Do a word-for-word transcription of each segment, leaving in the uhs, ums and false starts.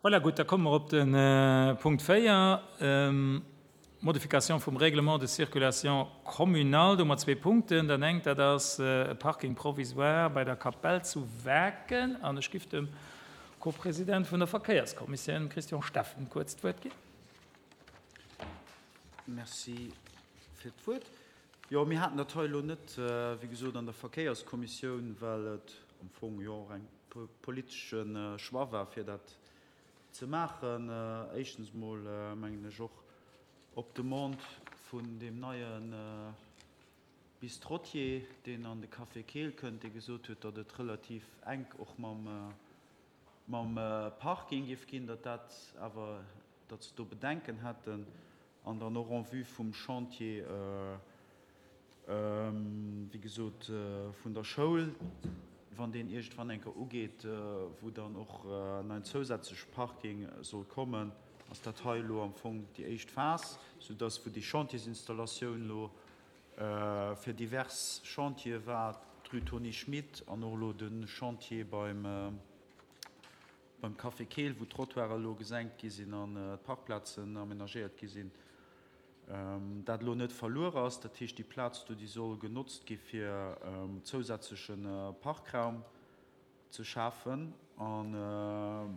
Voilà, gutt, da komme mer op de Punkt véier, Modification vum Règlement de circulation communal. Do hu mer zwee Punkten. Dat engt, dat ass e Parking provisoire bei der Kapell zu Waarken. An ech giff dem Co-President vun der Verkéierskommissioun, Christian Steffen, kuerz d'Wuert ginn. Merci fir d'Wuert. Jo, mir haten dat hei elo net, wéi gesot, an der Verkéierskommissioun, well et am Fong jo och eng politesche Choix war, fir dat ze maachen. Éischtens emol, mengen ech, och op Demande vun deem neie Bistrotier, deen an de Café Keel kënnt, dee gesot huet, datt et relativ enk och mam mam Parking géif ginn, datt dat awer, datt se do Bedenken hätten an dann och en vue vum Chantier, wéi gesot, vun der Schoul, wann deen iergendwann eng Kéier ugeet, wou dann och nach en zousätzleche Parking soll kommen, ass dat hei elo am Fong déi éischt Phas, soudatt, wou déi Chantiersinstallatioun elo fir divers Chantiere war, d'Rue Tony Schmit an och elo de Chantier beim, beim Café Keel, wou d'Trottoiren elo gesenkt gi sinn an d'Parkplazen amenagéiert gi sinn, dat elo net verluer ass. Dat heescht, déi Plaz do, déi soll genotzt gi fir zousätzleche Parkraum ze schafen. An,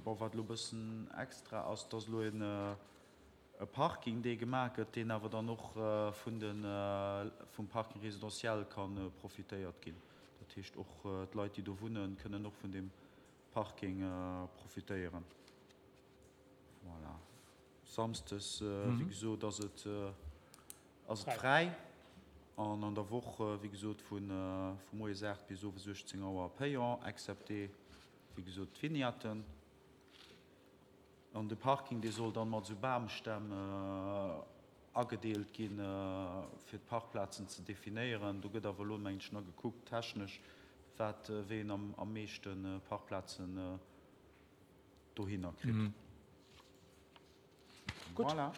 bon, wat elo e bëssen extra ass, dass elo en e Parking, dee gemaach gëtt, deen awer dann och vun de vum Parking résidentiel ka profitéiert ginn. Dat heescht, och d'Leit, déi do wunnen, kënnen och vun deem Parking profitéieren. Voilà. Samsdes, wéi gesot, ass et ass et fräi an an der Woch, wéi gesot, vu vu moies aacht bis owes uechtzéng Auer payant, excepté, wéi gesot, d'Vignetten. An de Parking, dee soll dann mat esou Bamstämm agedeelt ginn, fir d'Parkplazen ze definéieren. Do gëtt awer elo, mengen ech, nach gekuckt technesch, wat, wéi een am am meeschte Parkplazen dohinner kritt. Gutt. Voilà.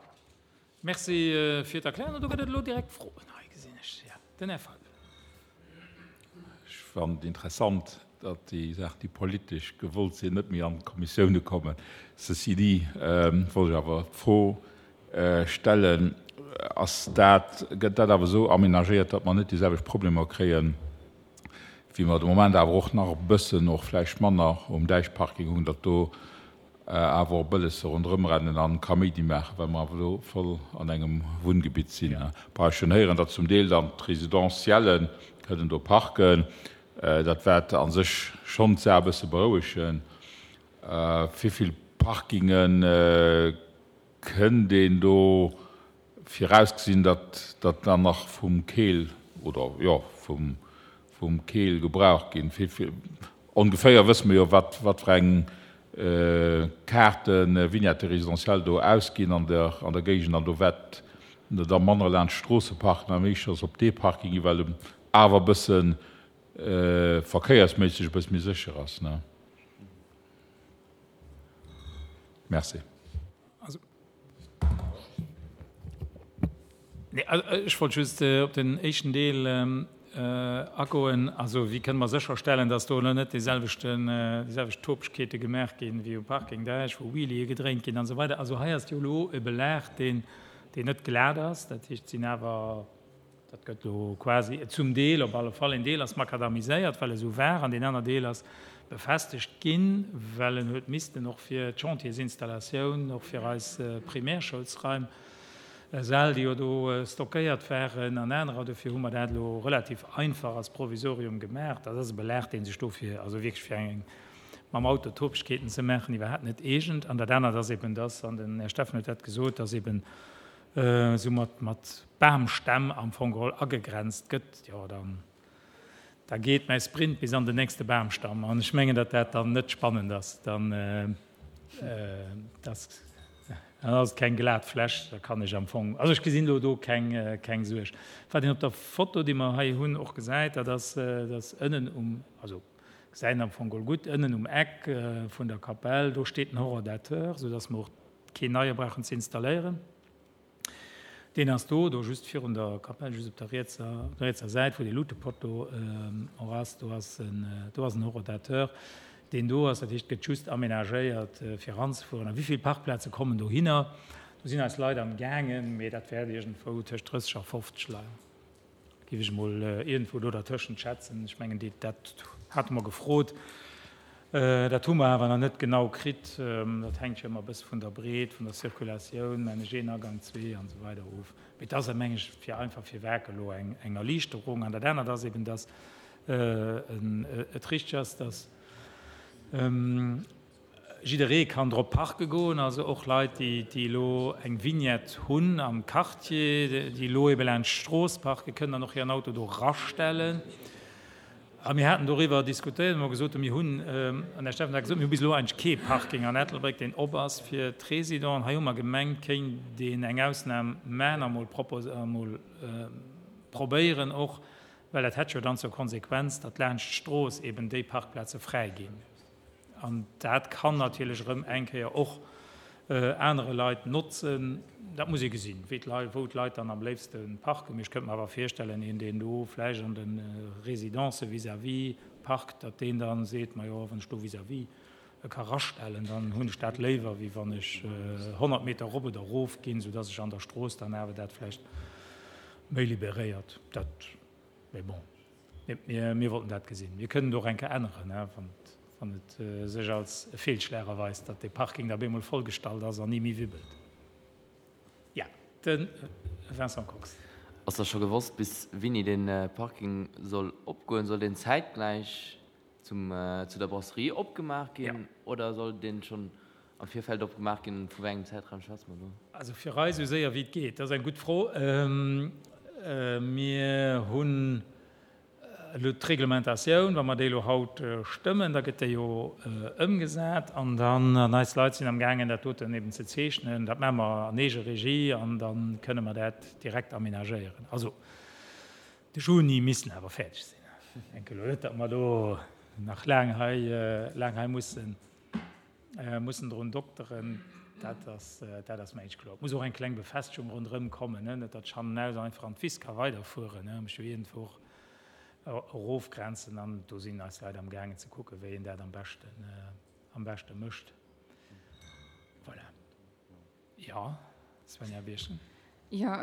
Merci fir d'Erklärung. An do gëtt et elo direkt Froen. Hei gesinn ech, jo, den Här Feil. Ech fannen et interessant, datt déi Saachen, déi politesch gewollt sinn, net méi an d'Kommissioune kommen. Ceci dit, wollt ech awer d'Fro stellen, Ass dat, gëtt dat awer esou amenagéiert, datt mer net déi selwecht Problemer kréien, wéi mer de Moment awer och nach e bëssen, och vläicht manner um Däichparking hunn, datt do awer och Bëllesse ronderëm rennen an Kaméidi maachen, well mer awer elo voll an engem Wunngebitt sinn. Bon, ech hunn héieren, datt zum Deel dann d'Residentielle kënnen do parken. Dat wäert a sech schonn d'Saach e bësse berouegen. Wéi vill Parkinge kënnt een do virausgesinn, datt datt dann nach vum Keel oder, jo, vum vum Keel gebraucht ginn? Wéi vill ongeféier wësse mer jo, wat wat fir eng Kaarten, Vignette résidentielle do ausginn an der an der Géigend an do wäert da manner laanscht d'Stroosse parken a méi schonns op dee Parking ginn, well en awer e bësse verkéiersméisseg e bësse méi sécher ass, ne? Merci. Nee, ech wollt just op den éischten Deel agoen. Also, wéi kënne mer sécherstellen, dass do elo net déiselwechten, déiselwecht Topegkeete gemaach ginn wéi um Parking Däich, wou Wheelië gedréint ginn an esou weider. Also hei ass jo elo e Belag, deen, deen net glat ass. Dat heescht, et sinn awer, dat gëtt elo quasi zum Deel, op alle Fall een Deel ass makadamiséiert, well e sou war, an deen aner Deel ass befestegt ginn, well en huet missten och fir d'Chantiersinstallatioun, och fir eis Primärschoulsraim, Säll, déi jo do stockéiert waren an anerer. Dofir hu mer dat elo relativ einfach als Provisorium gemaach. Dat ass e Belag, dee sech dofir, also wierklech fir eng mam Auto Topegkeeten ze maachen, iwwerhaapt net eegent. An dat anert ass eben, dass, an den Här Steffen huet dat gesot, dass eben esou mat, mat Bamstämm am Fong geholl agegrenzt gëtt. Jo, dann. Da geet mäi Sprint bis an den nächste Bamstamm an ech mengen, datt dat dann net spannend ass. Dann ass et keng glat Fläch, da kann ech am Fong, also ech gesinn elo do keng, keng Suerg. Wat een op der Foto, déi mer hei hunn, och gesäit, dat ass, datt ënnen um, also gesäit een am Fong geholl gutt, ënnen um Eck vun der Kapell, do steet den Horodateur, soudatt mer och keen neie brauchen ze installéieren. Deen ass do, do just virun der Kapell, just op der rietser, op der rietser Säit, wou dee Lutepotto och ass, do ass en, do ass en Horodateur, deen do ass. Dat heescht, et gëtt just amenagéiert, fir eranzefueren. A wéi vill Parkplaze kommen dohinner? Do sinn eis Leit am gaangen, mee dat wäert iergendwou tëscht drësseg a fofzeg leien, géif ech emol iergendwou do dertëschent schätzen. Ech mengen, déi, dat hate mer gefrot. Dat hu mer awer nach net genau kritt. Dat hänkt jo ëmmer e bësse vun der Breet, vun der Circulatioun, mengen ech, een Agang, zwee an esou weider of. Mee et ass, meng ech, fir einfach virweg elo eng, eng Erliichterung. An dat anert ass eben, dass et richteg ass, dass jidderee kann drop parke goen, also och Leit, déi déi elo eng Vignette hunn am Quartier, déi elo ebe laanscht d'Strooss parken, kënnen dann och hiren Auto do rastellen. A mir haten doriwwer diskutéiert, hu mer gesot, mir hunn, an Här Steffen hat gesot, mir hu bis elo eigentlech kee Parking an Ettelbréck, deen op ass fir d'Résidenten. Hei hu mer gemengt, kéint een eng Ausnam maachen a mol propos-, a mol probéieren och, well dat hätt jo dann zur Konsequenz, datt laanscht d'Strooss eben déi Parkplaze fräi ginn. An dat kann natierlech erëm eng Kéier och anere Leit notzen. Dat muss ee gesinn, wéi d'Leit, wou d'Leit dann am léifste parken. Mee ech kënnt mer awer virstellen, een, deen do vläicht an de Résidencë vis-à-vis parkt, datt deen da seet, Majo, wann ech do vis-à-vis e ka rastellen, dann hunn ech dat léiwer, wéi wann ech honnert Meter erop oder erof ginn, soudatt ech an der Strooss dann awer dat vläicht méi liberéiert. Dat, mee bon, mir, mir wollten dat gesinn. Mir kënnen et och eng Kéier änneren, wann et, wann et sech als e Feelschlag erweist, datt dee Parking da bemol vollgestallt ass an ni méi wibbelt. Jo, de Vincent Kox. Ass da scho gewosst, bis wéini dee Parking soll opgoen? Soll deen zäitgläich zum, zu der Brasserie opgemaach ginn oder soll deen schonn am Virfeld opgemaach ginn? Vu wéi engem Zäitraum schwätze mer do? Also fir eis esou séier wéi et geet. Dat ass eng gutt Fro. Mir hunn elo d'Reglementatioun, wa mer déi elo haut stëmmen, da gëtt déi jo ëmgesat an dann, an eis Leit sinn amgaangen, dat doten eben ze zeechnen. Dat maache mer an Eegeregie an da kënne mer dat direkt amenagéieren. Also de Juni misst en awer fäerdeg sinn. Ech denke elo net, datt mer do nach laang hei, laang hei mussen, mussen drun dokteren. Dat ass, dat ass mer éischt kloer. Et muss och eng kleng Befestigung ronderëm kommen, net datt ech hannenaus einfach an d'Wiss ka weiderfueren. Ech jo iergendwou och erofgrenzen an do sinn eis Leit amgaangen ze kucken, wéi een dat am beschten, am beschte mécht. Voilà. Jo, Svenja Birchen. Jo,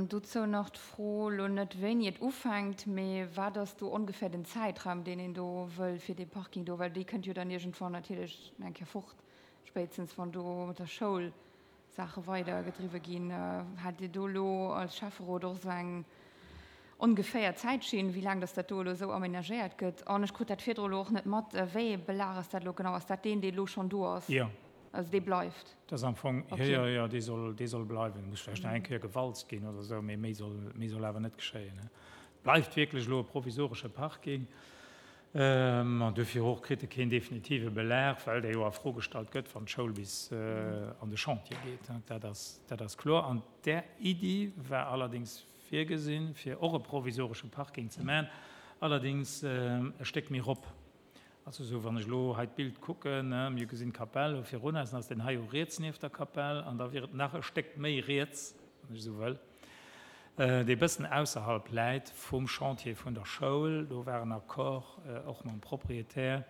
dozou nach d'Fro, elo net wéini et ufänkt, mee wat ass do ongeféier den Zäitraum, deen een do wëll fir dee Parking do, well dee kënnt jo dann iergendwann natierlech eng Kéier fort, spéitstens wann do mat der Schoul Saache weidergedriwwe ginn. Hat Dir do elo als Schäfferot och esou eng ongeféier Zäitschinn, wéi laang dass dat do elo esou amenagéiert gëtt? An ech krut dat virdru elo och net mat, wéi ee Belag ass dat elo genau? Ass dat deen, dee elo schonn do ass? Jo. Also dee bleift? Dat ass am Fong, jo, jo, jo, dee soll, dee soll bleiwen. Muss vläicht nach eng Kéier gewalzt ginn oder esou, mee méi soll, méi soll awer net geschéien. Et bleift wierklech elo e provisoresche Parking. An duerfir och kritt e keen definitive Belag, well dee jo a Fro gestallt gëtt, wann d'Schoul bis an de Chantier geet. Dat ass, dat ass kloer. An där Iddi war allerdéngs virgesinn, fir och e provisoresche Parking ze maachen, allerdéngs e Stéck méi rop. Also esou, wann ech elo hei d'Bild kucken, mir gesinn d'Kapell do virun eis, dann ass deen hei jo riets nieft der Kapell an da wier et nach e Stéck méi riets, wann ech esou wëll, dee bëssen ausserhalb läit vum Chantier vun der Schoul. Do war en Accord och mam Propriétaire,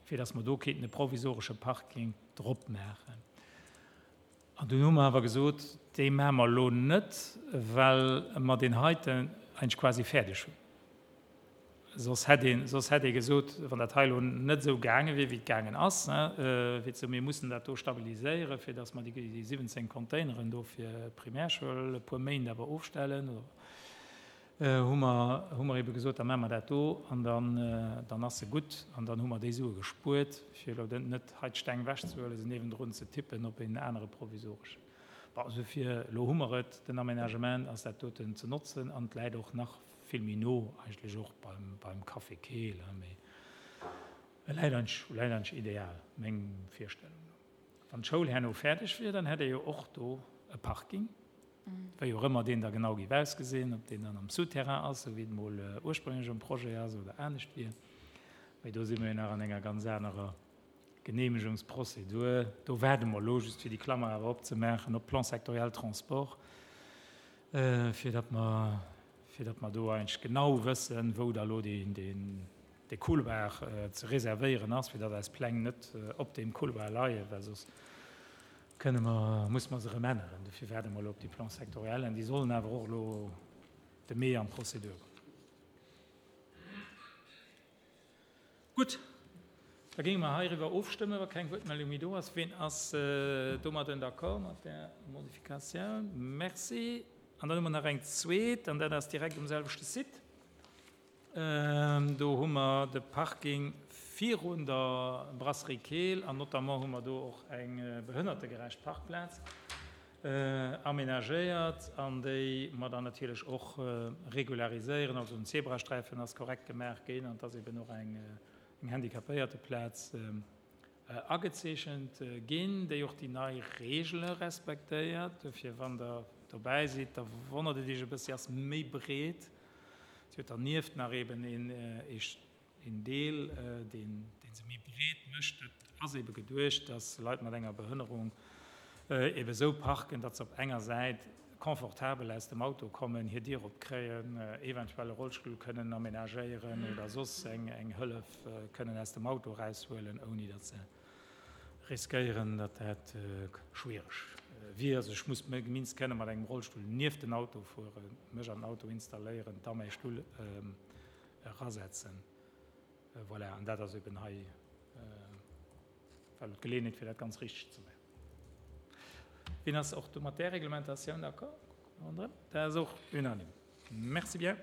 fir datt mer do kéinten e provisoresche Parking drop maachen. An dunn hu mer awer gesot, dee maache mer elo net, well mer deen heiten eigentlech quasi fäerdeg hunn. Soss hätt een, soss hätt ee gesot, wann dat hei elo net esou gaange wier, wéi et gaangen ass, fir ze soen, mir mussen dat do stabiliséieren, fir datt mer déi siwwenzéng Containeren do fir d'Primärschoul e puer Méint awer ofstellen, hu mer, hu mer ebe gesot, da maache mer dat do an dann, dann ass se gutt an dann hu mer déi Sue gespuert, fir elo net hei d'Steng ewechzehuelen, se niewendrun ze tippen op een anere provisoreschen. Bon, esouvill, elo hu mer et, den Aménagement ass dat doten ze notzen an et läit och nach vill méi no eigentlech och beim, beim Café Keel, mee e läit eigentlech, läit eigentlech ideal, meng Virstellung no. Wann d'Schoul herno fäerdeg wier, dann hätt ee jo och do e Parking, wéi och ëmmer deen da genau géif ausgesinn, ob deen dann am Souterrain ass, esou wéi et mol ursprünglech am Projet ass, oder anescht wier. Mee do si mer jo nach an enger ganz anerer Genehmegungsprozedur. Do waarde mer elo, just fir déi Klammer awer opzemaachen, op Plan sectoriel Transport, fir datt mer, fir datt mer do eigentlech genau wëssen, wou da elo deen, deen, dee Couloir ze reservéieren ass, fir datt eis Pläng net op deem Couloir leien, well soss kënne mer, musse mer se erëm änneren. Dofir waarde mer elo op déi Plans sectoriellen. Déi sollen awer och elo de Mee an d'Prozedur goen. Gutt, da géinge mer heiriwwer ofstëmmen, wa keng Wuertmeldung méi do ass. Ween ass domadden d'accord mat där Modifikatioun? Merci. An dann hu mer nach eng zweet, an dat ass direkt um selwechte Site. Do hu mer de Parking virun der Brasserie Keel an notamment hu mer do och eng behënnertegerecht Parkplaz amenagéiert an déi mer dann natierlech och regulariséieren. Also den Zebrasträifen ass korrekt gemaach ginn an et ass eben och eng Handicapéierteplaz agezeechent ginn, déi och déi nei Reegele respektéiert. Dofir, wann Der dobäi sidd, da wonnert et Iech e bëssi, ass méi breet. Si huet dernieft nach eben een Deel, deen se méi breet mécht. Dat ass ebe geduecht, dass Leit mat enger Behënnerung ebe sou parken, datt se op enger Säit confortabel aus dem Auto kommen, hir Dier opkréien, eventuell e Rollstull kënnen amenagéieren oder soss eng Hëllef kënnen aus dem Auto eraushuelen, ouni datt se riskéieren, datt dat schwiereg wier. Also ech muss minst kënne mat engem Rollstull nieft den Auto fueren, mech an den Auto installéieren, da mäi Stull erasetzen. Voilà, an dat ass eben hei well d'Geleeënheet, fir dat ganz richteg ze maachen. Wien ass och do mat där Reglementatioun d'accord? Dat ass och unanime. Merci bien.